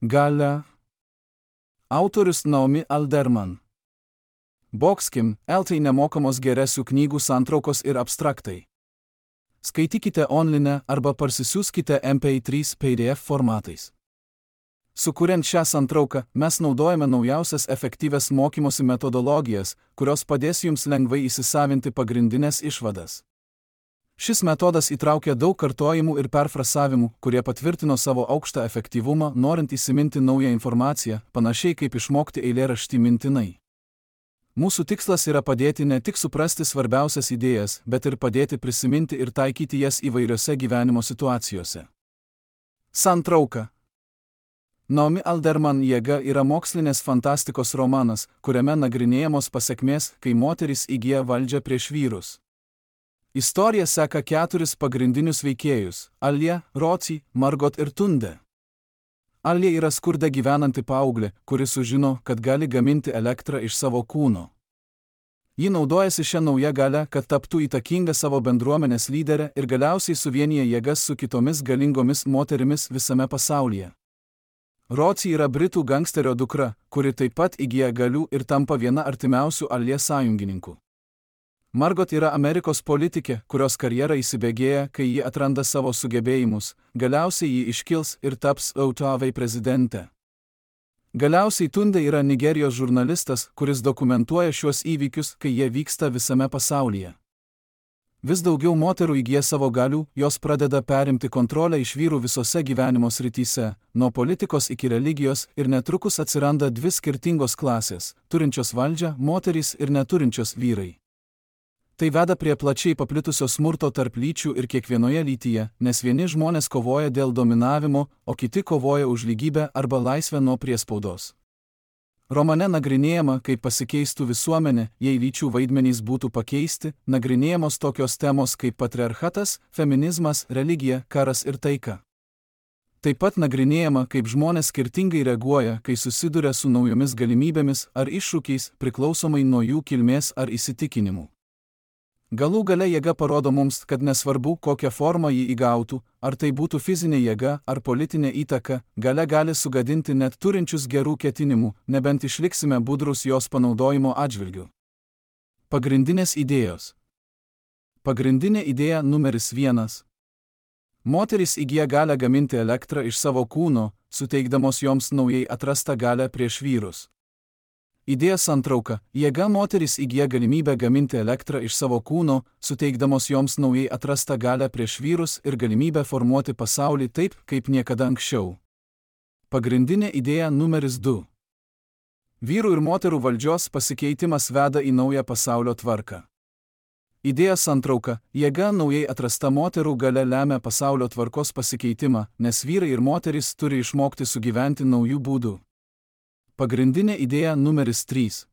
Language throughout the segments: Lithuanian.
Galia. Autorius Naomi Alderman. Boxkim, LT nemokamos geresių knygų santraukos ir abstraktai. Skaitykite online arba parsisiųskite MP3 PDF formatais. Sukuriant šią santrauką, mes naudojame naujausias efektyvias mokymosi metodologijas, kurios padės jums lengvai įsisavinti pagrindinės išvadas. Šis metodas įtraukia daug kartojimų ir perfrasavimų, kurie patvirtino savo aukštą efektyvumą, norint įsiminti naują informaciją, panašiai kaip išmokti eilėraštį mintinai. Mūsų tikslas yra padėti ne tik suprasti svarbiausias idėjas, bet ir padėti prisiminti ir taikyti jas įvairiose gyvenimo situacijose. Santrauka. Naomi Alderman Jėga yra mokslinės fantastikos romanas, kuriame nagrinėjamos pasekmės, kai moterys įgyja valdžią prieš vyrus. Istorija seka 4 pagrindinius veikėjus – Alia, Roci, Margot ir Tunde. Alia yra skurde gyvenanti paauglė, kuri sužino, kad gali gaminti elektrą iš savo kūno. Ji naudojasi šią naują galią, kad taptų įtakinga savo bendruomenės lyderė ir galiausiai suvienyje jėgas su kitomis galingomis moterimis visame pasaulyje. Roci yra britų gangsterio dukra, kuri taip pat įgyja galių ir tampa viena artimiausių Alia sąjungininkų. Margot yra Amerikos politikė, kurios karjera įsibėgėja, kai ji atranda savo sugebėjimus, galiausiai ji iškils ir taps jav prezidente. Galiausiai Tunde yra Nigerijos žurnalistas, kuris dokumentuoja šiuos įvykius, kai jie vyksta visame pasaulyje. Vis daugiau moterų įgyja savo galių, jos pradeda perimti kontrolę iš vyrų visose gyvenimo srityse, nuo politikos iki religijos, ir netrukus atsiranda 2 skirtingos klasės, turinčios valdžią, moterys ir neturinčios vyrai. Tai veda prie plačiai paplitusio smurto tarp lyčių ir kiekvienoje lytyje, nes vieni žmonės kovoja dėl dominavimo, o kiti kovoja už lygybę arba laisvę nuo priespaudos. Romane nagrinėjama, kaip pasikeistų visuomenė, jei lyčių vaidmenys būtų pakeisti, nagrinėjamos tokios temos kaip patriarchatas, feminizmas, religija, karas ir taika. Taip pat nagrinėjama, kaip žmonės skirtingai reaguoja, kai susiduria su naujomis galimybėmis ar iššūkiais, priklausomai nuo jų kilmės ar įsitikinimų. Galų gale jėga parodo mums, kad nesvarbu, kokią formą jį įgautų, ar tai būtų fizinė jėga ar politinė įtaka, galia gali sugadinti net turinčius gerų ketinimų, nebent išliksime budrus jos panaudojimo atžvilgiu. Pagrindinės idėjos. Pagrindinė idėja numeris 1. Moterys įgyja galią gaminti elektrą iš savo kūno, suteikdamos joms naujai atrastą galią prieš vyrus. Idėja santrauka. Jėga moterys įgyja galimybę gaminti elektrą iš savo kūno, suteikdamos joms naujai atrastą galią prieš vyrus ir galimybę formuoti pasaulį taip, kaip niekada anksčiau. Pagrindinė idėja numeris 2. Vyrų ir moterų valdžios pasikeitimas veda į naują pasaulio tvarką. Idėja santrauka. Jėga naujai atrasta moterų galia lemia pasaulio tvarkos pasikeitimą, nes vyrai ir moterys turi išmokti sugyventi naujų būdų. Pagrindinė idėja numeris 3.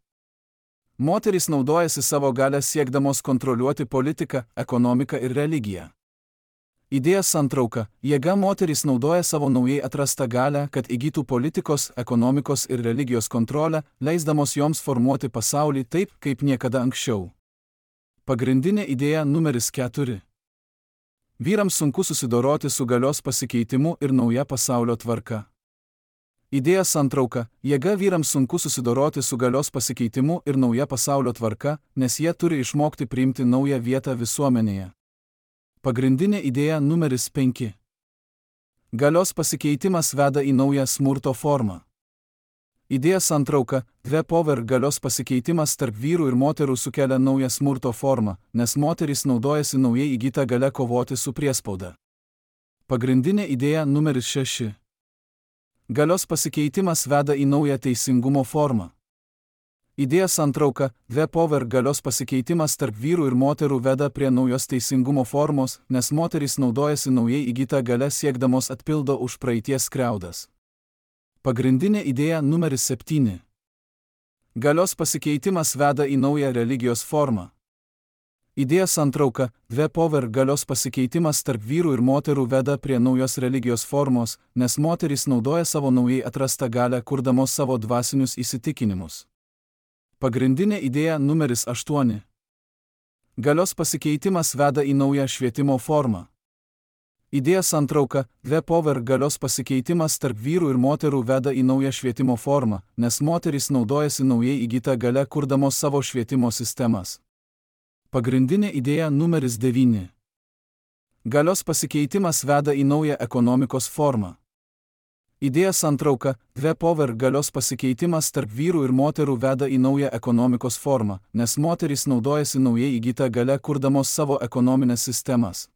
Moterys naudojasi savo galią siekdamos kontroliuoti politiką, ekonomiką ir religiją. Idėja santrauka. Jėga moterys naudoja savo naujai atrastą galią, kad įgytų politikos, ekonomikos ir religijos kontrolę, leisdamos joms formuoti pasaulį taip, kaip niekada anksčiau. Pagrindinė idėja numeris 4. Vyrams sunku susidoroti su galios pasikeitimu ir nauja pasaulio tvarka. Idėja santrauka. Jėga vyrams sunku susidoroti su galios pasikeitimu ir nauja pasaulio tvarka, nes jie turi išmokti priimti naują vietą visuomenėje. Pagrindinė idėja numeris 5. Galios pasikeitimas veda į naują smurto formą. Idėja santrauka. Power galios pasikeitimas tarp vyrų ir moterų sukelia naują smurto formą, nes moterys naudojasi naujai įgytą galią kovoti su priespauda. Pagrindinė idėja numeris 6. Galios pasikeitimas veda į naują teisingumo formą. Idėja santrauka. Power galios pasikeitimas tarp vyrų ir moterų veda prie naujos teisingumo formos, nes moterys naudojasi naujai įgytą galią siekdamos atpildo už praeities skriaudas. Pagrindinė idėja numeris 7. Galios pasikeitimas veda į naują religijos formą. Idėja santrauka. Power galios pasikeitimas tarp vyrų ir moterų veda prie naujos religijos formos, nes moterys naudoja savo naujai atrastą galią, kurdamos savo dvasinius įsitikinimus. Pagrindinė idėja numeris 8. Galios pasikeitimas veda į naują švietimo formą. Idėja santrauka: The Power galios pasikeitimas tarp vyrų ir moterų veda į naują švietimo formą, nes moterys naudojasi naujai įgytą galią kurdamos savo švietimo sistemas. Pagrindinė idėja numeris 9. Galios pasikeitimas veda į naują ekonomikos formą. Idėja santrauka: The Power galios pasikeitimas tarp vyrų ir moterų veda į naują ekonomikos formą, nes moterys naudojasi naujai įgytą galią kurdamos savo ekonominės sistemas.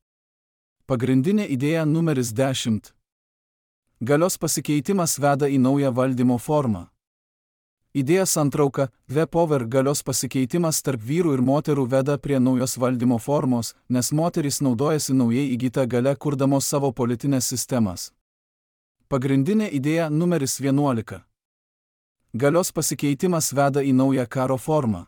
Pagrindinė idėja numeris 10. Galios pasikeitimas veda į naują valdymo formą. Idėja santrauka: The Power galios pasikeitimas tarp vyrų ir moterų veda prie naujos valdymo formos, nes moterys naudojasi naujai įgytą galią kurdamos savo politinės sistemas. Pagrindinė idėja numeris 11. Galios pasikeitimas veda į naują karo formą.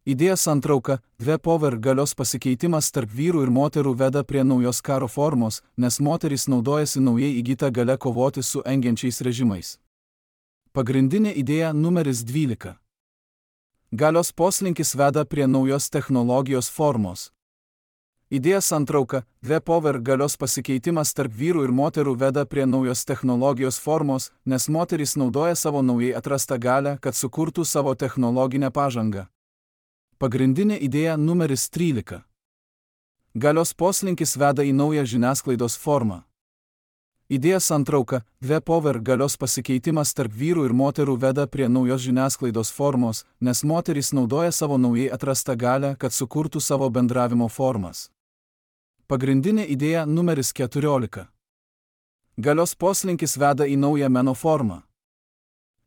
Idėja santrauka: The Power galios pasikeitimas tarp vyrų ir moterų veda prie naujos karo formos, nes moterys naudojasi naujai įgytą galią kovoti su engiančiais režimais. Pagrindinė idėja numeris 12. Galios poslinkis veda prie naujos technologijos formos. Idėja santrauka: The Power galios pasikeitimas tarp vyrų ir moterų veda prie naujos technologijos formos, nes moterys naudoja savo naujai atrastą galią, kad sukurtų savo technologinę pažangą. Pagrindinė idėja numeris 13. Galios poslinkis veda į naują žiniasklaidos formą. Idėja santrauka: The Power galios pasikeitimas tarp vyrų ir moterų veda prie naujos žiniasklaidos formos, nes moterys naudoja savo naujai atrastą galią, kad sukurtų savo bendravimo formas. Pagrindinė idėja numeris 14. Galios poslinkis veda į naują meno formą.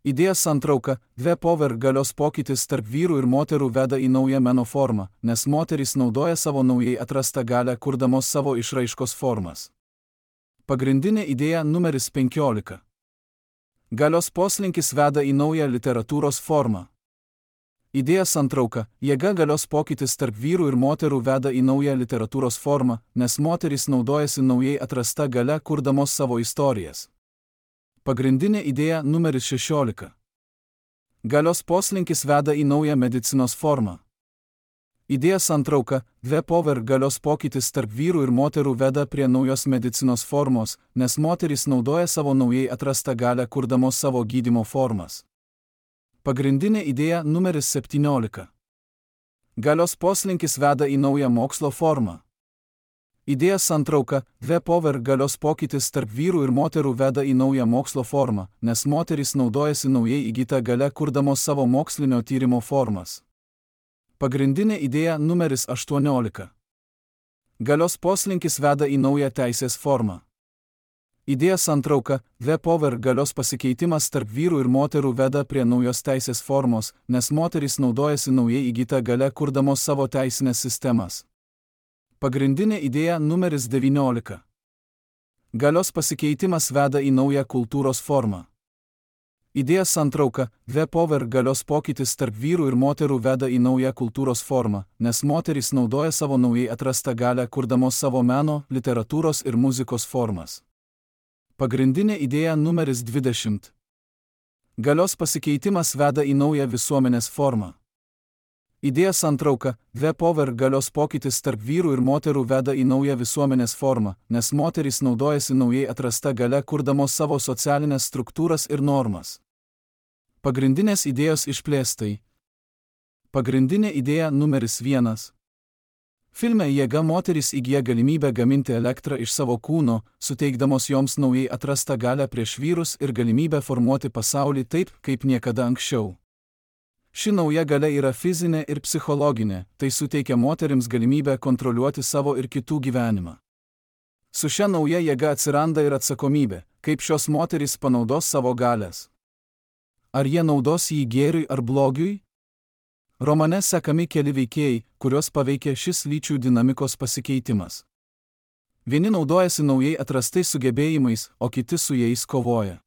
Idėja santrauka: The Power galios pokytis tarp vyrų ir moterų veda į naują meno formą, nes moterys naudoja savo naujai atrastą galią kurdamos savo išraiškos formas. Pagrindinė idėja numeris 15. Galios poslinkis veda į naują literatūros formą. Idėja santrauka: jėga galios pokytis tarp vyrų ir moterų veda į naują literatūros formą, nes moterys naudojasi naujai atrastą galią kurdamos savo istorijas. Pagrindinė idėja numeris 16. Galios poslinkis veda į naują medicinos formą. Idėja santrauka: The Power galios pokytis tarp vyrų ir moterų veda prie naujos medicinos formos, nes moterys naudoja savo naujai atrastą galią kurdamos savo gydymo formas. Pagrindinė idėja numeris 17. Galios poslinkis veda į naują mokslo formą. Idėja santrauka: The Power galios pokytis tarp vyrų ir moterų veda į naują mokslo formą, nes moterys naudojasi naujai įgytą galią kurdamos savo mokslinio tyrimo formas. Pagrindinė idėja numeris 18. Galios poslinkis veda į naują teisės formą. Idėja santrauka: The Power galios pasikeitimas tarp vyrų ir moterų veda prie naujos teisės formos, nes moterys naudojasi naujai įgytą galią kurdamos savo teisinės sistemas. Pagrindinė idėja numeris 19. Galios pasikeitimas veda į naują kultūros formą. Idėja santrauka: The Power galios pokytis tarp vyrų ir moterų veda į naują kultūros formą, nes moterys naudoja savo naujai atrastą galią kurdamos savo meno, literatūros ir muzikos formas. Pagrindinė idėja numeris 20. Galios pasikeitimas veda į naują visuomenės formą. Idėja santrauka: The Power galios pokytis tarp vyrų ir moterų veda į naują visuomenės formą, nes moterys naudojasi naujai atrastą galią kurdamos savo socialinės struktūras ir normas. Pagrindinės idėjos išplėstai. Pagrindinė idėja numeris 1. Filme Jėga moterys įgyja galimybę gaminti elektrą iš savo kūno, suteikdamos joms naujai atrastą galią prieš vyrus ir galimybę formuoti pasaulį taip, kaip niekada anksčiau. Ši nauja galia yra fizinė ir psichologinė, tai suteikia moterims galimybę kontroliuoti savo ir kitų gyvenimą. Su šia nauja jėga atsiranda ir atsakomybė, kaip šios moterys panaudos savo galias. Ar jie naudos jį gėriui ar blogiui? Romane sekami keli veikėjai, kuriuos paveikia šis lyčių dinamikos pasikeitimas. Vieni naudojasi naujai atrastais sugebėjimais, o kiti su jais kovoja.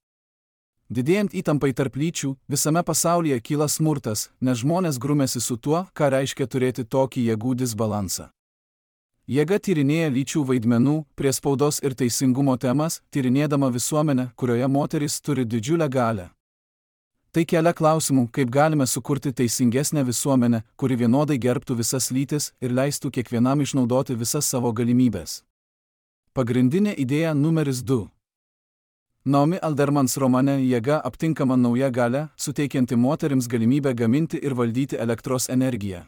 Didėjant įtampai tarp lyčių, visame pasaulyje kyla smurtas, nes žmonės grumėsi su tuo, ką reiškia turėti tokį jėgų disbalansą. Jėga tyrinėja lyčių vaidmenų, priespaudos ir teisingumo temas, tyrinėdama visuomenę, kurioje moteris turi didžiulę galią. Tai kelia klausimų, kaip galime sukurti teisingesnę visuomenę, kuri vienodai gerbtų visas lytis ir leistų kiekvienam išnaudoti visas savo galimybės. Pagrindinė idėja numeris 2. Naomi Aldermans romane Jėga aptinkama nauja galia, suteikianti moterims galimybę gaminti ir valdyti elektros energiją.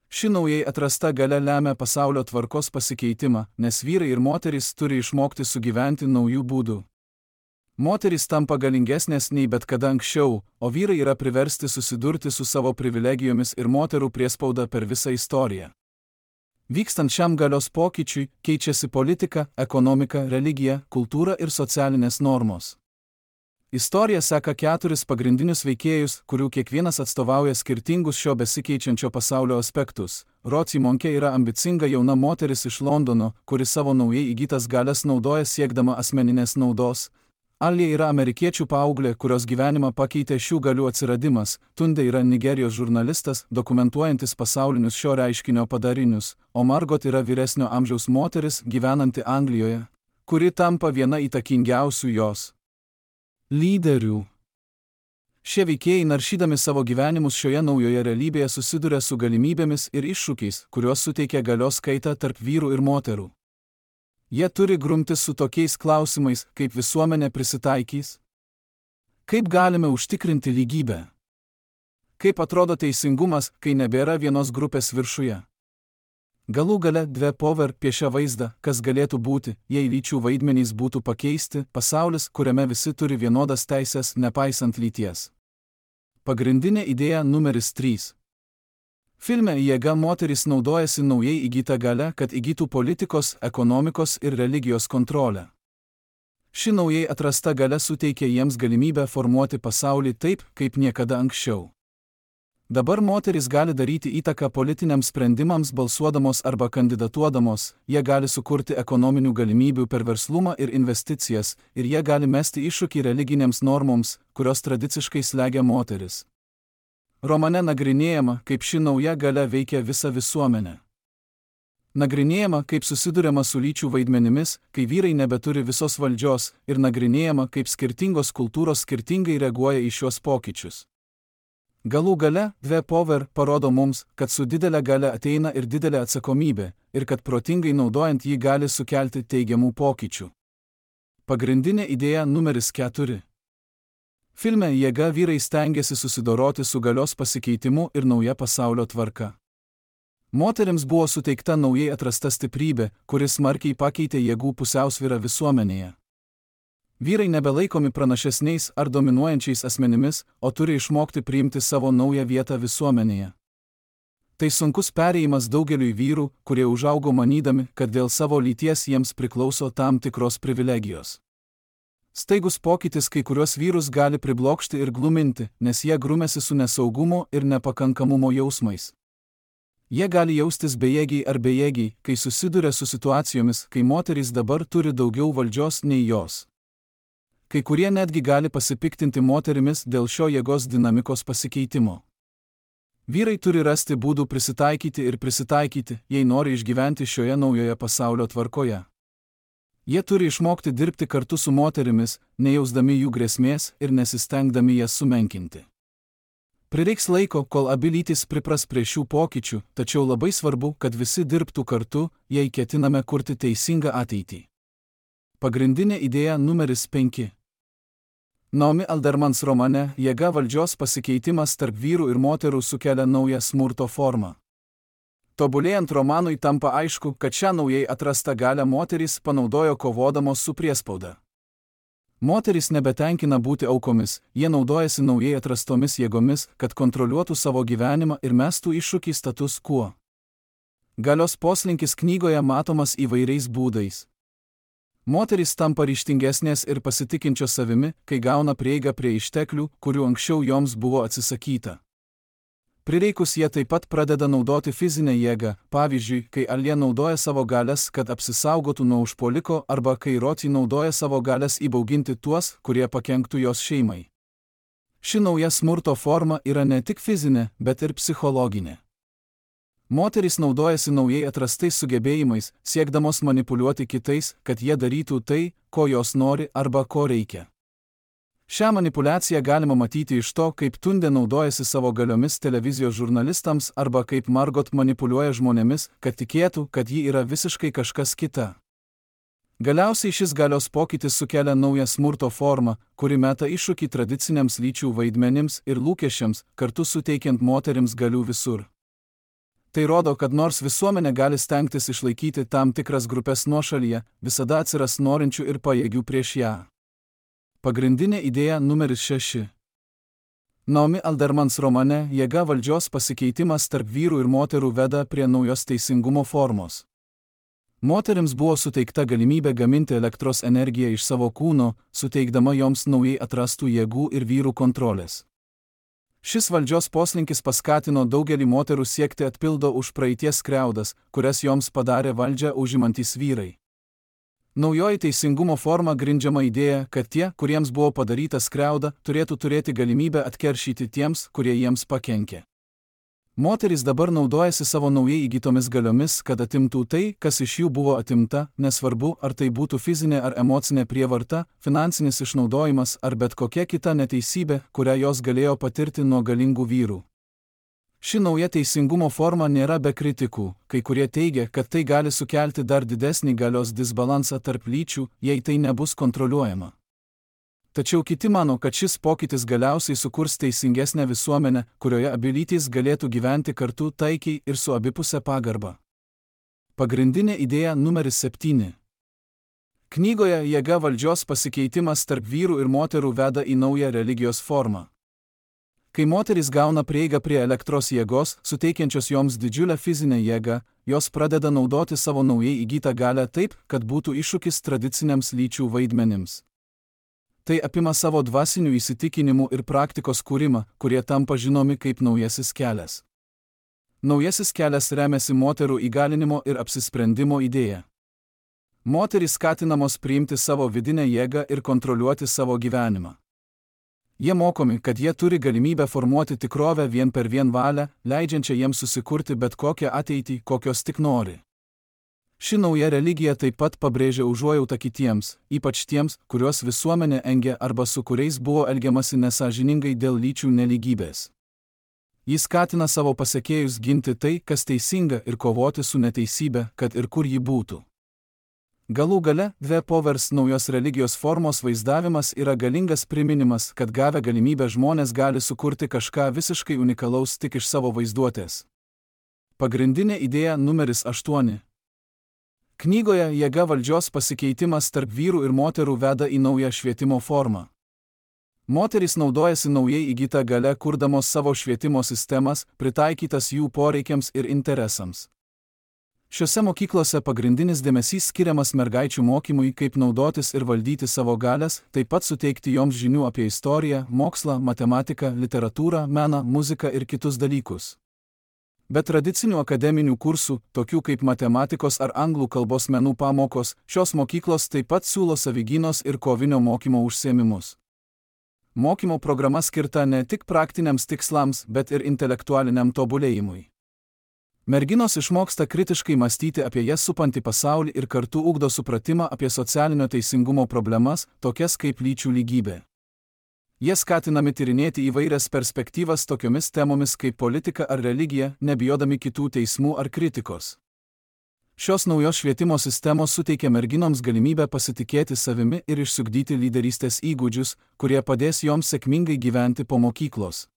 Ši naujai atrasta galia lemia pasaulio tvarkos pasikeitimą, nes vyrai ir moterys turi išmokti sugyventi naujų būdų. Moterys tampa galingesnės nei bet kada anksčiau, o vyrai yra priversti susidurti su savo privilegijomis ir moterų priespauda per visą istoriją. Vykstant šiam galios pokyčiui, keičiasi politika, ekonomika, religija, kultūra ir socialinės normos. Istorija seka 4 pagrindinius veikėjus, kurių kiekvienas atstovauja skirtingus šio besikeičiančio pasaulio aspektus. Roci Monke yra ambicinga jauna moteris iš Londono, kuri savo naujai įgytas galias naudoja siekdama asmeninės naudos. Alija yra amerikiečių paauglė, kurios gyvenimą pakeitė šių galių atsiradimas. Tunde yra Nigerijos žurnalistas, dokumentuojantis pasaulinius šio reiškinio padarinius, o Margot yra vyresnio amžiaus moteris, gyvenanti Anglijoje, kuri tampa viena įtakingiausių jos lyderių. Šie veikėjai naršydami savo gyvenimus šioje naujoje realybėje susiduria su galimybėmis ir iššūkiais, kuriuos suteikia galios kaita tarp vyrų ir moterų. Jie turi grumtis su tokiais klausimais, kaip visuomenė prisitaikys. Kaip galime užtikrinti lygybę? Kaip atrodo teisingumas, kai nebėra vienos grupės viršuje? Galų gale Dve Power piešia vaizdą, kas galėtų būti, jei lyčių vaidmenys būtų pakeisti, pasaulis, kuriame visi turi vienodas teisės, nepaisant lyties. Pagrindinė idėja numeris 3. Filme Jėga moterys naudojasi naujai įgytą galią, kad įgytų politikos, ekonomikos ir religijos kontrolę. Ši naujai atrasta galia suteikia jiems galimybę formuoti pasaulį taip, kaip niekada anksčiau. Dabar moterys gali daryti įtaką politiniams sprendimams balsuodamos arba kandidatuodamos, jie gali sukurti ekonominių galimybių per verslumą ir investicijas, ir jie gali mesti iššūkį religinėms normoms, kurios tradiciškai slegia moteris. Romane nagrinėjama, kaip ši nauja galia veikia visą visuomenę. Nagrinėjama, kaip susiduriama su lyčių vaidmenimis, kai vyrai nebeturi visos valdžios, ir nagrinėjama, kaip skirtingos kultūros skirtingai reaguoja į šiuos pokyčius. Galų gale, Dve Power parodo mums, kad su didelė galia ateina ir didelė atsakomybė, ir kad protingai naudojant jį gali sukelti teigiamų pokyčių. Pagrindinė idėja numeris 4. Filme Jėga vyrai stengiasi susidoroti su galios pasikeitimu ir nauja pasaulio tvarka. Moterims buvo suteikta naujai atrasta stiprybė, kuris smarkiai pakeitė jėgų pusiausvyrą visuomenėje. Vyrai nebelaikomi pranašesniais ar dominuojančiais asmenimis, o turi išmokti priimti savo naują vietą visuomenėje. Tai sunkus perėjimas daugeliui vyrų, kurie užaugo manydami, kad dėl savo lyties jiems priklauso tam tikros privilegijos. Staigus pokytis kai kuriuos vyrus gali priblokšti ir gluminti, nes jie grumėsi su nesaugumo ir nepakankamumo jausmais. Jie gali jaustis bejėgiai ar bejėgiai, kai susiduria su situacijomis, kai moterys dabar turi daugiau valdžios nei jos. Kai kurie netgi gali pasipiktinti moterimis dėl šio jėgos dinamikos pasikeitimo. Vyrai turi rasti būdų prisitaikyti, jei nori išgyventi šioje naujoje pasaulio tvarkoje. Jie turi išmokti dirbti kartu su moterimis, nejausdami jų grėsmės ir nesistengdami jas sumenkinti. Prireiks laiko, kol abi lytys pripras prie šių pokyčių, tačiau labai svarbu, kad visi dirbtų kartu, jei ketiname kurti teisingą ateitį. Pagrindinė idėja numeris 5. Naomi Aldermans romane Jėga valdžios pasikeitimas tarp vyrų ir moterų sukelia naują smurto formą. Tobulėjant romanui tampa aišku, kad šią naujai atrastą galią moterys panaudojo kovodamos su priespauda. Moterys nebetenkina būti aukomis, jie naudojasi naujai atrastomis jėgomis, kad kontroliuotų savo gyvenimą ir mestų iššūkį status quo. Galios poslinkis knygoje matomas įvairiais būdais. Moterys tampa ryžtingesnės ir pasitikinčios savimi, kai gauna prieigą prie išteklių, kurių anksčiau joms buvo atsisakyta. Prireikus jie taip pat pradeda naudoti fizinę jėgą, pavyzdžiui, kai Alija naudoja savo galias, kad apsisaugotų nuo užpuoliko, arba kai Roci naudoja savo galias įbauginti tuos, kurie pakenktų jos šeimai. Ši nauja smurto forma yra ne tik fizinė, bet ir psichologinė. Moterys naudojasi naujai atrastais sugebėjimais, siekdamos manipuliuoti kitais, kad jie darytų tai, ko jos nori arba ko reikia. Šią manipulaciją galima matyti iš to, kaip Tunde naudojasi savo galiomis televizijos žurnalistams arba kaip Margot manipuliuoja žmonėmis, kad tikėtų, kad ji yra visiškai kažkas kita. Galiausiai šis galios pokytis sukelia naują smurto formą, kuri meta iššūkį tradiciniams lyčių vaidmenims ir lūkesčiams, kartu suteikiant moterims galių visur. Tai rodo, kad nors visuomenė gali stengtis išlaikyti tam tikras grupės nuošalyje, visada atsiras norinčių ir pajėgių prieš ją. Pagrindinė idėja numeris 6. Naomi Aldermans romane Jėga valdžios pasikeitimas tarp vyrų ir moterų veda prie naujos teisingumo formos. Moterims buvo suteikta galimybė gaminti elektros energiją iš savo kūno, suteikdama joms naujai atrastų jėgų ir vyrų kontrolės. Šis valdžios poslinkis paskatino daugelį moterų siekti atpildo už praeities skriaudas, kurias joms padarė valdžią užimantys vyrai. Naujoji teisingumo forma grindžiama idėja, kad tie, kuriems buvo padaryta skriauda, turėtų turėti galimybę atkeršyti tiems, kurie jiems pakenkė. Moterys dabar naudojasi savo naujai įgytomis galiomis, kad atimtų tai, kas iš jų buvo atimta, nesvarbu, ar tai būtų fizinė ar emocinė prievarta, finansinis išnaudojimas ar bet kokia kita neteisybė, kurią jos galėjo patirti nuo galingų vyrų. Ši nauja teisingumo forma nėra be kritikų, kai kurie teigia, kad tai gali sukelti dar didesnį galios disbalansą tarp lyčių, jei tai nebus kontroliuojama. Tačiau kiti mano, kad šis pokytis galiausiai sukurs teisingesnę visuomenę, kurioje abi lytys galėtų gyventi kartu taikiai ir su abipusė pagarba. Pagrindinė idėja numeris 7. Knygoje Jėga valdžios pasikeitimas tarp vyrų ir moterų veda į naują religijos formą. Kai moterys gauna prieigą prie elektros jėgos, suteikiančios joms didžiulę fizinę jėgą, jos pradeda naudoti savo naujai įgytą galią taip, kad būtų iššūkis tradiciniams lyčių vaidmenims. Tai apima savo dvasinių įsitikinimų ir praktikos kūrimą, kurie tampa žinomi kaip naujasis kelias. Naujasis kelias remiasi moterų įgalinimo ir apsisprendimo idėja. Moterys skatinamos priimti savo vidinę jėgą ir kontroliuoti savo gyvenimą. Jie mokomi, kad jie turi galimybę formuoti tikrovę vien per vien valią, leidžiančią jiems susikurti bet kokią ateitį, kokios tik nori. Ši nauja religija taip pat pabrėžia užuojautą kitiems, ypač tiems, kuriuos visuomenė engia arba su kuriais buvo elgiamasi nesąžiningai dėl lyčių nelygybės. Jis skatina savo pasekėjus ginti tai, kas teisinga ir kovoti su neteisybė, kad ir kur ji būtų. Galų gale, The Powers naujos religijos formos vaizdavimas yra galingas priminimas, kad gavę galimybę žmonės gali sukurti kažką visiškai unikalaus tik iš savo vaizduotės. Pagrindinė idėja numeris 8. Knygoje Jėga valdžios pasikeitimas tarp vyrų ir moterų veda į naują švietimo formą. Moterys naudojasi naujai įgytą galią, kurdamos savo švietimo sistemas, pritaikytas jų poreikiams ir interesams. Šiose mokyklose pagrindinis dėmesys skiriamas mergaičių mokymui, kaip naudotis ir valdyti savo galias, taip pat suteikti joms žinių apie istoriją, mokslą, matematiką, literatūrą, meną, muziką ir kitus dalykus. Be tradicinių akademinių kursų, tokių kaip matematikos ar anglų kalbos menų pamokos, šios mokyklos taip pat siūlo savigynos ir kovinio mokymo užsiėmimus. Mokymo programa skirta ne tik praktiniams tikslams, bet ir intelektualiniam tobulėjimui. Merginos išmoksta kritiškai mąstyti apie jas supantį pasaulį ir kartu ugdo supratimą apie socialinio teisingumo problemas, tokias kaip lyčių lygybė. Jie skatinami tyrinėti įvairias perspektyvas tokiomis temomis kaip politika ar religija, nebijodami kitų teismų ar kritikos. Šios naujos švietimo sistemos suteikia merginoms galimybę pasitikėti savimi ir išsiugdyti lyderystės įgūdžius, kurie padės joms sėkmingai gyventi po mokyklos.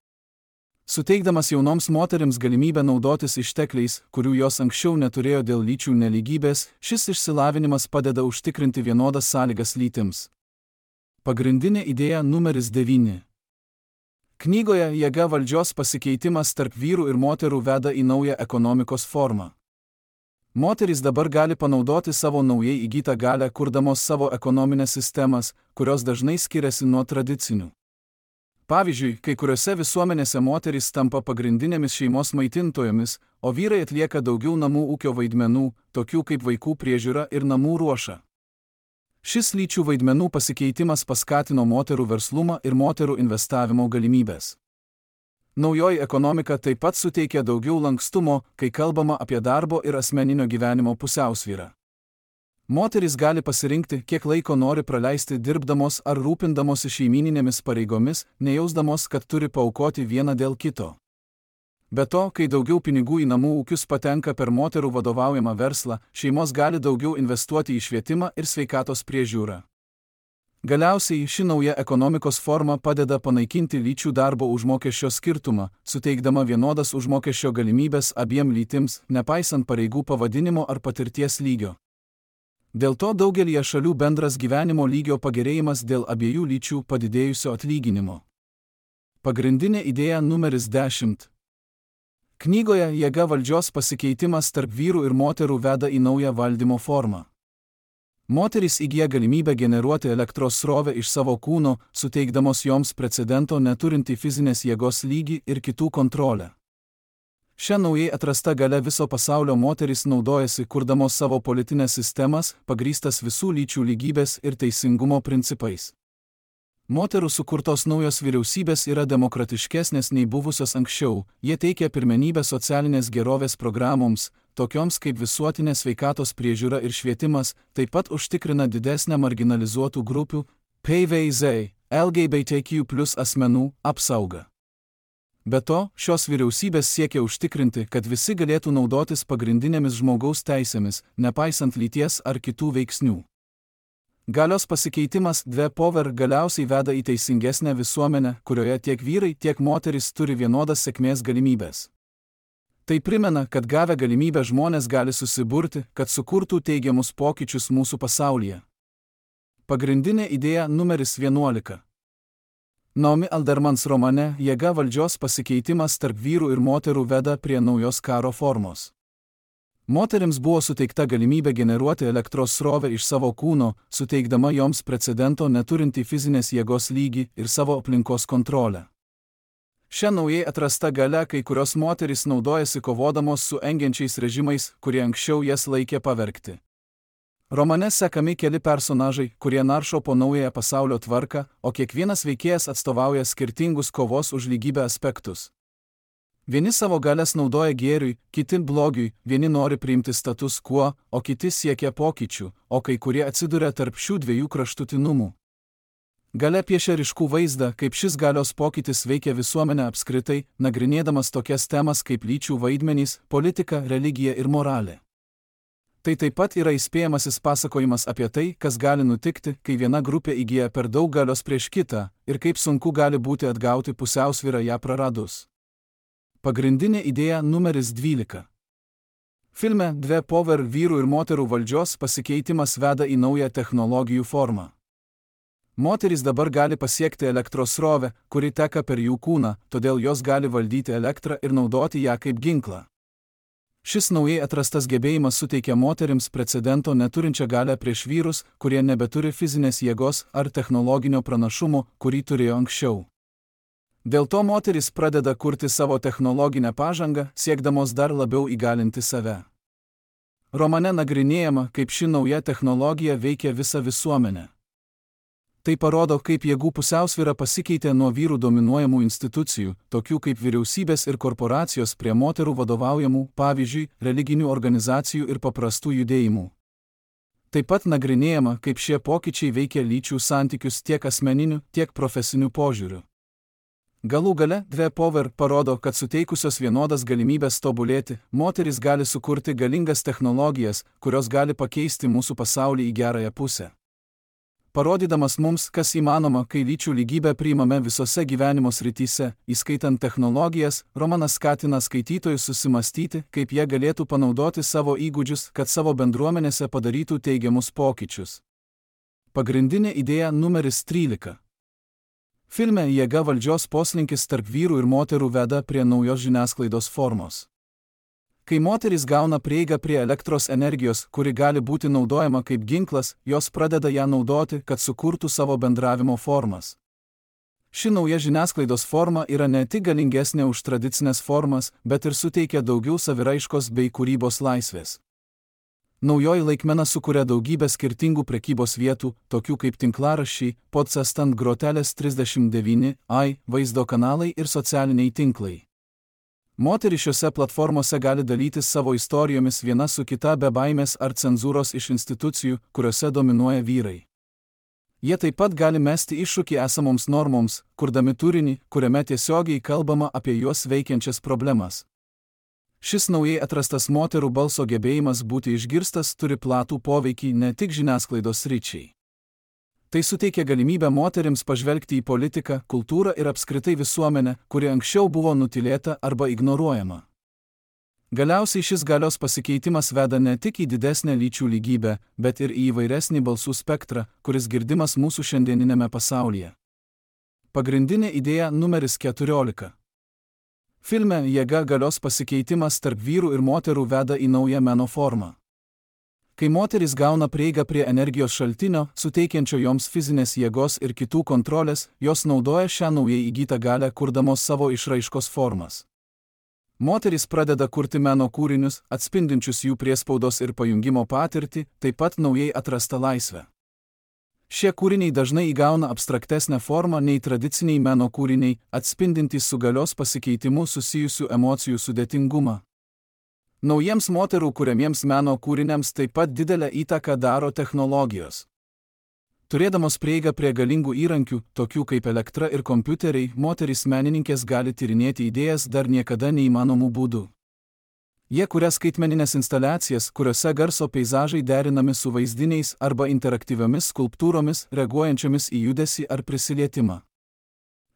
Suteikdamas jaunoms moterims galimybę naudotis ištekliais, kurių jos anksčiau neturėjo dėl lyčių nelygybės, šis išsilavinimas padeda užtikrinti vienodas sąlygas lytims. Pagrindinė idėja numeris 9. Knygoje Jėga valdžios pasikeitimas tarp vyrų ir moterų veda į naują ekonomikos formą. Moterys dabar gali panaudoti savo naujai įgytą galią, kurdamos savo ekonominės sistemas, kurios dažnai skiriasi nuo tradicinių. Pavyzdžiui, kai kuriuose visuomenėse moterys tampa pagrindinėmis šeimos maitintojomis, o vyrai atlieka daugiau namų ūkio vaidmenų, tokių kaip vaikų priežiūra ir namų ruoša. Šis lyčių vaidmenų pasikeitimas paskatino moterų verslumą ir moterų investavimo galimybės. Naujoji ekonomika taip pat suteikia daugiau lankstumo, kai kalbama apie darbo ir asmeninio gyvenimo pusiausvyrą. Moterys gali pasirinkti, kiek laiko nori praleisti dirbdamos ar rūpindamosi šeimyninėmis pareigomis, nejausdamos, kad turi paaukoti vieną dėl kito. Be to, kai daugiau pinigų į namų ūkius patenka per moterų vadovaujamą verslą, šeimos gali daugiau investuoti į švietimą ir sveikatos priežiūrą. Galiausiai ši nauja ekonomikos forma padeda panaikinti lyčių darbo užmokesčio skirtumą, suteikdama vienodas užmokesčio galimybės abiem lytims, nepaisant pareigų pavadinimo ar patirties lygio. Dėl to daugelįje šalių bendras gyvenimo lygio pagerėjimas dėl abiejų lyčių padidėjusio atlyginimo. Pagrindinė idėja numeris 10. Knygoje Jėga valdžios pasikeitimas tarp vyrų ir moterų veda į naują valdymo formą. Moterys įgyja galimybę generuoti elektros srovę iš savo kūno, suteikdamos joms precedento neturintį fizinės jėgos lygį ir kitų kontrolę. Šią naujai atrastą galią viso pasaulio moterys naudojasi, kurdamos savo politinės sistemas, pagrįstas visų lyčių lygybės ir teisingumo principais. Moterų sukurtos naujos vyriausybės yra demokratiškesnės nei buvusios anksčiau, jie teikia pirmenybę socialinės gerovės programoms, tokioms kaip visuotinė sveikatos priežiūra ir švietimas, taip pat užtikrina didesnę marginalizuotų grupių, PVZ, LGBTQ+ asmenų apsaugą. Be to, šios vyriausybės siekia užtikrinti, kad visi galėtų naudotis pagrindinėmis žmogaus teisėmis, nepaisant lyties ar kitų veiksnių. Galios pasikeitimas Power galiausiai veda į teisingesnę visuomenę, kurioje tiek vyrai, tiek moterys turi vienodas sėkmės galimybės. Tai primena, kad gavę galimybę žmonės gali susiburti, kad sukurtų teigiamus pokyčius mūsų pasaulyje. Pagrindinė idėja numeris 11. Naomi Aldermans romane Jėga valdžios pasikeitimas tarp vyrų ir moterų veda prie naujos karo formos. Moterims buvo suteikta galimybė generuoti elektros srovę iš savo kūno, suteikdama joms precedento neturintį fizinės jėgos lygį ir savo aplinkos kontrolę. Šią naujai atrastą galią kai kurios moterys naudojasi kovodamos su engiančiais režimais, kurie anksčiau jas laikė pavergti. Romane sekami keli personažai, kurie naršo po naująją pasaulio tvarką, o kiekvienas veikėjas atstovauja skirtingus kovos už lygybę aspektus. Vieni savo galias naudoja gėriui, kiti blogiui, vieni nori priimti status quo, o kiti siekia pokyčių, o kai kurie atsiduria tarp šių dviejų kraštutinumų. Galia piešia ryškų vaizdą, kaip šis galios pokytis veikia visuomenę apskritai, nagrinėdamas tokias temas kaip lyčių vaidmenys, politika, religija ir moralė. Tai taip pat yra įspėjamasis pasakojimas apie tai, kas gali nutikti, kai viena grupė įgyja per daug galios prieš kitą, ir kaip sunku gali būti atgauti pusiausvyrą ją praradus. Pagrindinė idėja numeris 12. Filme Power vyrų ir moterų valdžios pasikeitimas veda į naują technologijų formą. Moterys dabar gali pasiekti elektros srovę, kuri teka per jų kūną, todėl jos gali valdyti elektrą ir naudoti ją kaip ginklą. Šis naujai atrastas gebėjimas suteikia moterims precedento neturinčią galią prieš vyrus, kurie nebeturi fizinės jėgos ar technologinio pranašumo, kurį turėjo anksčiau. Dėl to moterys pradeda kurti savo technologinę pažangą, siekdamos dar labiau įgalinti save. Romane nagrinėjama, kaip ši nauja technologija veikia visą visuomenę. Tai parodo, kaip jėgų pusiausvyra pasikeitė nuo vyrų dominuojamų institucijų, tokių kaip vyriausybės ir korporacijos, prie moterų vadovaujamų, pavyzdžiui, religinių organizacijų ir paprastų judėjimų. Taip pat nagrinėjama, kaip šie pokyčiai veikia lyčių santykius tiek asmeniniu, tiek profesiniu požiūriu. Galų gale Power parodo, kad suteikusios vienodas galimybės tobulėti, moterys gali sukurti galingas technologijas, kurios gali pakeisti mūsų pasaulį į gerąją pusę. Parodydamas mums, kas įmanoma, kai lyčių lygybę priimame visose gyvenimo srityse, įskaitant technologijas, romanas skatina skaitytojus susimastyti, kaip jie galėtų panaudoti savo įgūdžius, kad savo bendruomenėse padarytų teigiamus pokyčius. Pagrindinė idėja numeris 13. Filme Jėga valdžios poslinkis tarp vyrų ir moterų veda prie naujos žiniasklaidos formos. Kai moterys gauna prieigą prie elektros energijos, kuri gali būti naudojama kaip ginklas, jos pradeda ją naudoti, kad sukurtų savo bendravimo formas. Ši nauja žiniasklaidos forma yra ne tik galingesnė už tradicinės formas, bet ir suteikia daugiau saviraiškos bei kūrybos laisvės. Naujoji laikmena sukuria daugybę skirtingų prekybos vietų, tokių kaip tinklaraščiai, podcastas ant grotelės 39, vaizdo kanalai ir socialiniai tinklai. Moterys šiose platformose gali dalytis savo istorijomis viena su kita be baimės ar cenzūros iš institucijų, kuriuose dominuoja vyrai. Jie taip pat gali mesti iššūkį esamoms normoms, kurdami turinį, kuriame tiesiogiai kalbama apie juos veikiančias problemas. Šis naujai atrastas moterų balso gebėjimas būti išgirstas turi platų poveikį ne tik žiniasklaidos sričiai. Tai suteikia galimybę moterims pažvelgti į politiką, kultūrą ir apskritai visuomenę, kuri anksčiau buvo nutylėta arba ignoruojama. Galiausiai šis galios pasikeitimas veda ne tik į didesnę lyčių lygybę, bet ir į įvairesnį balsų spektrą, kuris girdimas mūsų šiandieninėme pasaulyje. Pagrindinė idėja numeris 14. Filme jėga galios pasikeitimas tarp vyrų ir moterų veda į naują meno formą. Kai moterys gauna prieigą prie energijos šaltinio, suteikiančio joms fizinės jėgos ir kitų kontrolės, jos naudoja šią naujai įgytą galią kurdamos savo išraiškos formas. Moterys pradeda kurti meno kūrinius, atspindinčius jų priespaudos ir pajungimo patirtį, taip pat naujai atrastą laisvę. Šie kūriniai dažnai įgauna abstraktesnę formą nei tradiciniai meno kūriniai, atspindintys su galios pasikeitimu susijusių emocijų sudėtingumą. Naujiems moterų kuriamiems meno kūriniams taip pat didelę įtaką daro technologijos. Turėdamos prieigą prie galingų įrankių, tokių kaip elektra ir kompiuteriai, moterys menininkės gali tyrinėti idėjas dar niekada neįmanomų būdų. Jie kuria skaitmeninės instaliacijas, kuriuose garso peizažai derinami su vaizdiniais arba interaktyviomis skulptūromis, reaguojančiomis į judesį ar prisilietimą.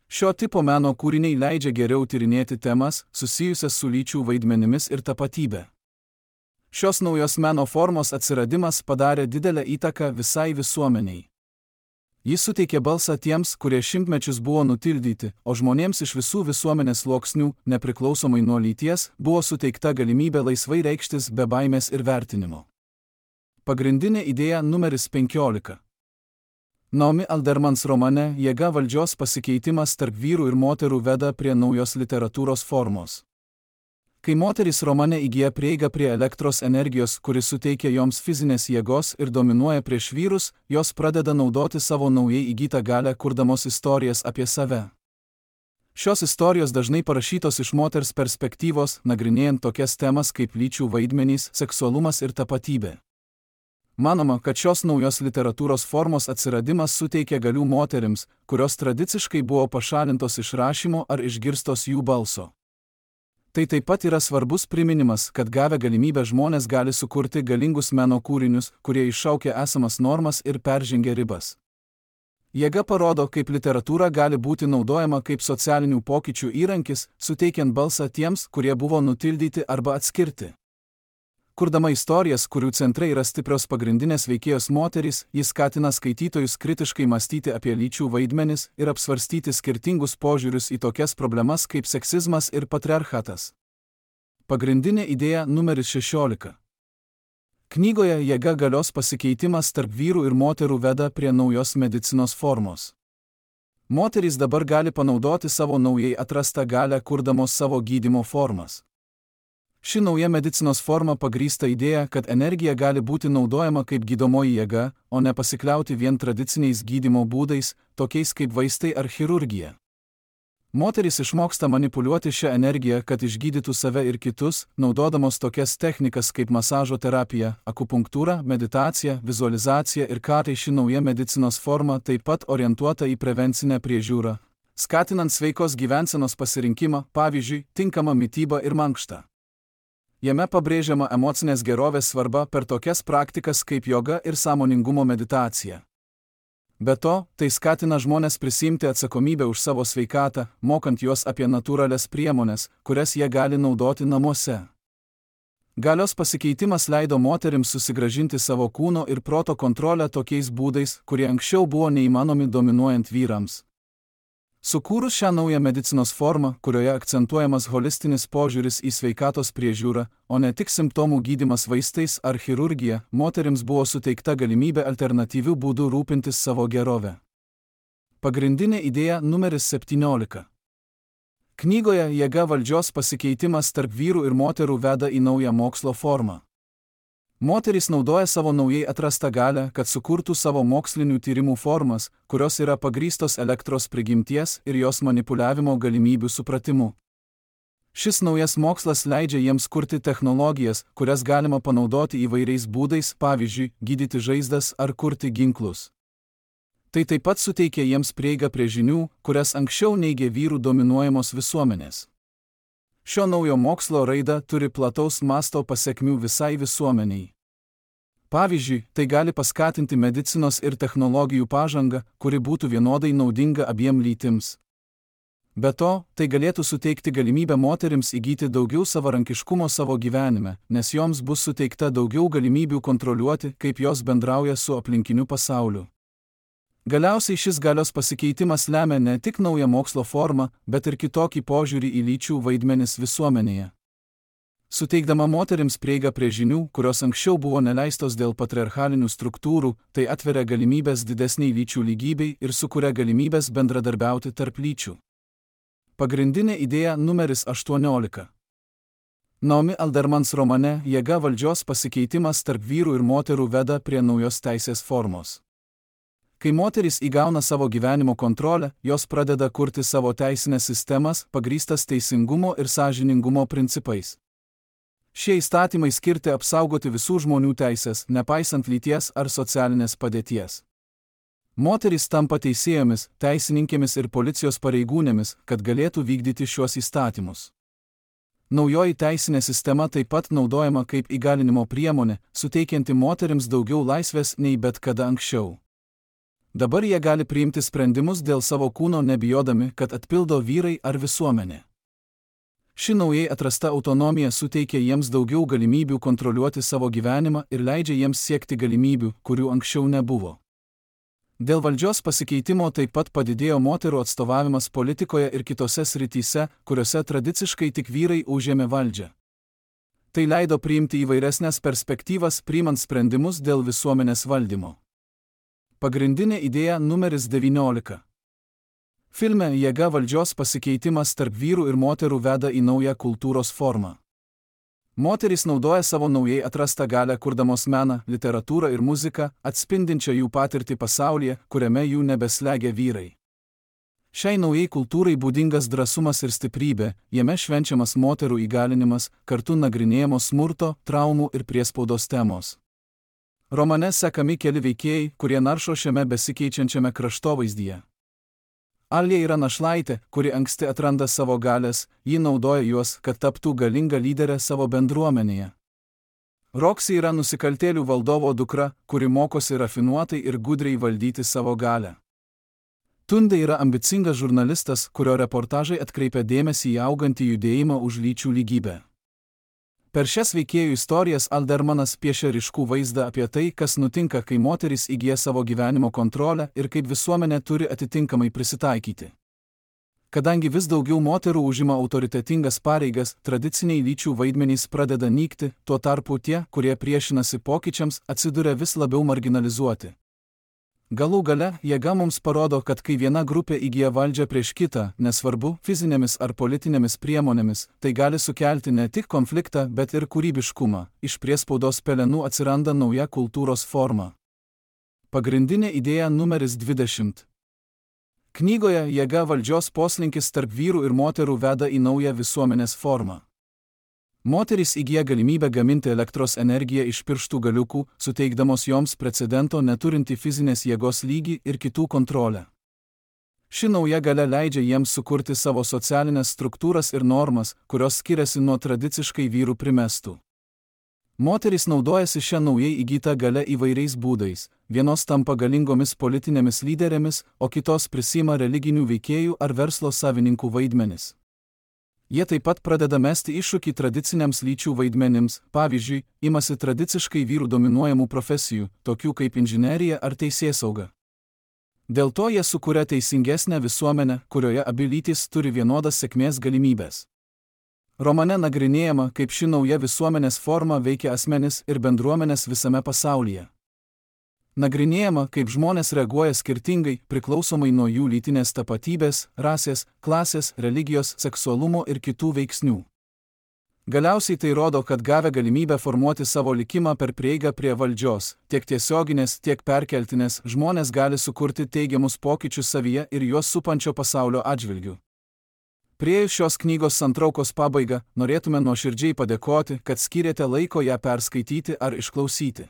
Šio tipo meno kūriniai leidžia geriau tyrinėti temas, susijusias su lyčių vaidmenimis ir tapatybė. Šios naujos meno formos atsiradimas padarė didelę įtaką visai visuomeniai. Jis suteikė balsą tiems, kurie šimtmečius buvo nutildyti, o žmonėms iš visų visuomenės sluoksnių, nepriklausomai nuo lyties, buvo suteikta galimybė laisvai reikštis be baimės ir vertinimo. Pagrindinė idėja numeris 15. Naomi Aldermans romane Jėga valdžios pasikeitimas tarp vyrų ir moterų veda prie naujos literatūros formos. Kai moterys romane įgyja prieigą prie elektros energijos, kuris suteikia joms fizinės jėgos ir dominuoja prieš vyrus, jos pradeda naudoti savo naujai įgytą galią kurdamos istorijas apie save. Šios istorijos dažnai parašytos iš moters perspektyvos, nagrinėjant tokias temas kaip lyčių vaidmenys, seksualumas ir tapatybė. Manoma, kad šios naujos literatūros formos atsiradimas suteikia galių moterims, kurios tradiciškai buvo pašalintos iš rašymo ar išgirstos jų balso. Tai taip pat yra svarbus priminimas, kad gavę galimybę žmonės gali sukurti galingus meno kūrinius, kurie iššaukia esamas normas ir peržengia ribas. Jėga parodo, kaip literatūra gali būti naudojama kaip socialinių pokyčių įrankis, suteikiant balsą tiems, kurie buvo nutildyti arba atskirti. Kurdama istorijas, kurių centrai yra stiprios pagrindinės veikėjos moterys, jis skatina skaitytojus kritiškai mąstyti apie lyčių vaidmenis ir apsvarstyti skirtingus požiūrius į tokias problemas kaip seksizmas ir patriarchatas. Pagrindinė idėja numeris 16. Knygoje Jėga galios pasikeitimas tarp vyrų ir moterų veda prie naujos medicinos formos. Moterys dabar gali panaudoti savo naujai atrastą galią kurdamos savo gydymo formas. Ši nauja medicinos forma pagrįsta idėja, kad energija gali būti naudojama kaip gydomoji jėga, o ne pasikliauti vien tradiciniais gydymo būdais, tokiais kaip vaistai ar chirurgija. Moterys išmoksta manipuliuoti šią energiją, kad išgydytų save ir kitus, naudodamos tokias technikas kaip masažo terapija, akupunktūra, meditacija, vizualizacija ir kartai ši nauja medicinos forma taip pat orientuota į prevencinę priežiūrą, skatinant sveikos gyvensenos pasirinkimą, pavyzdžiui, tinkamą mitybą ir mankštą. Jame pabrėžiama emocinės gerovės svarba per tokias praktikas kaip joga ir sąmoningumo meditacija. Be to, tai skatina žmonės prisiimti atsakomybę už savo sveikatą, mokant juos apie natūralias priemones, kurias jie gali naudoti namuose. Galios pasikeitimas leido moterims susigrąžinti savo kūno ir proto kontrolę tokiais būdais, kurie anksčiau buvo neįmanomi dominuojant vyrams. Sukūrus šią naują medicinos formą, kurioje akcentuojamas holistinis požiūris į sveikatos priežiūrą, o ne tik simptomų gydymas vaistais ar chirurgija, moterims buvo suteikta galimybė alternatyvių būdų rūpintis savo gerovę. Pagrindinė idėja numeris 17. Knygoje Jėga valdžios pasikeitimas tarp vyrų ir moterų veda į naują mokslo formą. Moterys naudoja savo naujai atrastą galią, kad sukurtų savo mokslinių tyrimų formas, kurios yra pagrįstos elektros prigimties ir jos manipuliavimo galimybių supratimu. Šis naujas mokslas leidžia jiems kurti technologijas, kurias galima panaudoti įvairiais būdais, pavyzdžiui, gydyti žaizdas ar kurti ginklus. Tai taip pat suteikia jiems prieigą prie žinių, kurias anksčiau neigė vyrų dominuojamos visuomenės. Šio naujo mokslo raida turi plataus masto pasekmių visai visuomeniai. Pavyzdžiui, tai gali paskatinti medicinos ir technologijų pažangą, kuri būtų vienodai naudinga abiem lytims. Be to, tai galėtų suteikti galimybę moterims įgyti daugiau savarankiškumo savo gyvenime, nes joms bus suteikta daugiau galimybių kontroliuoti, kaip jos bendrauja su aplinkiniu pasauliu. Galiausiai šis galios pasikeitimas lemia ne tik naują mokslo formą, bet ir kitokį požiūrį į lyčių vaidmenis visuomenėje. Suteikdama moterims prieigą prie žinių, kurios anksčiau buvo neleistos dėl patriarchalinių struktūrų, tai atveria galimybės didesniai lyčių lygybei ir sukuria galimybės bendradarbiauti tarp lyčių. Pagrindinė idėja numeris 18. Naomi Aldermans romane Jėga valdžios pasikeitimas tarp vyrų ir moterų veda prie naujos teisės formos. Kai moterys įgauna savo gyvenimo kontrolę, jos pradeda kurti savo teisinės sistemas, pagrįstas teisingumo ir sąžiningumo principais. Šie įstatymai skirti apsaugoti visų žmonių teisės, nepaisant lyties ar socialinės padėties. Moterys tampa teisėjomis, teisininkėmis ir policijos pareigūnėmis, kad galėtų vykdyti šiuos įstatymus. Naujoji teisinė sistema taip pat naudojama kaip įgalinimo priemonė, suteikianti moterims daugiau laisvės nei bet kada anksčiau. Dabar jie gali priimti sprendimus dėl savo kūno nebijodami, kad atpildo vyrai ar visuomenė. Ši naujai atrasta autonomija suteikia jiems daugiau galimybių kontroliuoti savo gyvenimą ir leidžia jiems siekti galimybių, kurių anksčiau nebuvo. Dėl valdžios pasikeitimo taip pat padidėjo moterų atstovavimas politikoje ir kitose srityse, kuriuose tradiciškai tik vyrai užėmė valdžią. Tai leido priimti įvairesnės perspektyvas, priimant sprendimus dėl visuomenės valdymo. Pagrindinė idėja numeris 19. Filme Jėga valdžios pasikeitimas tarp vyrų ir moterų veda į naują kultūros formą. Moterys naudoja savo naujai atrastą galią kurdamos meną, literatūrą ir muziką, atspindinčią jų patirtį pasaulyje, kuriame jų nebeslegia vyrai. Šiai naujai kultūrai būdingas drąsumas ir stiprybė, jame švenčiamas moterų įgalinimas, kartu nagrinėjamos smurto, traumų ir priespaudos temos. Romane sekami keli veikėjai, kurie naršo šiame besikeičiančiame kraštovaizdyje. Alija yra našlaitė, kuri anksti atranda savo galės, ji naudoja juos, kad taptų galinga lyderė savo bendruomenėje. Roksy yra nusikaltėlių valdovo dukra, kuri mokosi rafinuotai ir gudriai valdyti savo galę. Tunde yra ambicingas žurnalistas, kurio reportažai atkreipia dėmesį į augantį judėjimą už lyčių lygybę. Per šias veikėjų istorijas Aldermanas piešia ryškų vaizdą apie tai, kas nutinka, kai moterys įgyja savo gyvenimo kontrolę ir kaip visuomenė turi atitinkamai prisitaikyti. Kadangi vis daugiau moterų užima autoritetingas pareigas, tradiciniai lyčių vaidmenys pradeda nykti, tuo tarpu tie, kurie priešinasi pokyčiams, atsiduria vis labiau marginalizuoti. Galų gale, jėga mums parodo, kad kai viena grupė įgyja valdžią prieš kitą, nesvarbu, fizinėmis ar politinėmis priemonėmis, tai gali sukelti ne tik konfliktą, bet ir kūrybiškumą. Iš priespaudos pelenų atsiranda nauja kultūros forma. Pagrindinė idėja numeris 20. Knygoje Jėga valdžios poslinkis tarp vyrų ir moterų veda į naują visuomenės formą. Moterys įgyja galimybę gaminti elektros energiją iš pirštų galiukų, suteikdamos joms precedento neturinti fizinės jėgos lygį ir kitų kontrolę. Ši nauja galia leidžia jiems sukurti savo socialinės struktūras ir normas, kurios skiriasi nuo tradiciškai vyrų primestų. Moterys naudojasi šią naujai įgytą galę įvairiais būdais, vienos tampa galingomis politinėmis lyderėmis, o kitos prisima religinių veikėjų ar verslo savininkų vaidmenis. Jie taip pat pradeda mesti iššūkį tradiciniams lyčių vaidmenims, pavyzdžiui, imasi tradiciškai vyrų dominuojamų profesijų, tokių kaip inžinerija ar teisėsauga. Dėl to jie sukuria teisingesnę visuomenę, kurioje abi lytys turi vienodas sėkmės galimybės. Romane nagrinėjama, kaip ši nauja visuomenės forma veikia asmenis ir bendruomenės visame pasaulyje. Nagrinėjama, kaip žmonės reaguoja skirtingai, priklausomai nuo jų lytinės tapatybės, rasės, klasės, religijos, seksualumo ir kitų veiksnių. Galiausiai tai rodo, kad gavę galimybę formuoti savo likimą per prieigą prie valdžios, tiek tiesioginės, tiek perkeltinės, žmonės gali sukurti teigiamus pokyčius savyje ir juos supančio pasaulio atžvilgiu. Priėjus šios knygos santraukos pabaigą, norėtume nuoširdžiai padėkoti, kad skyrėte laiko ją perskaityti ar išklausyti.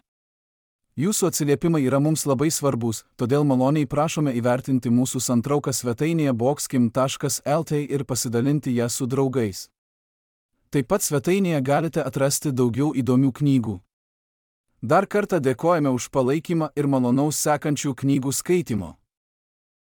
Jūsų atsiliepimai yra mums labai svarbus, todėl maloniai prašome įvertinti mūsų santrauką svetainėje boxkim.lt ir pasidalinti ją su draugais. Taip pat svetainėje galite atrasti daugiau įdomių knygų. Dar kartą dėkojame už palaikymą ir malonaus sekančių knygų skaitymo.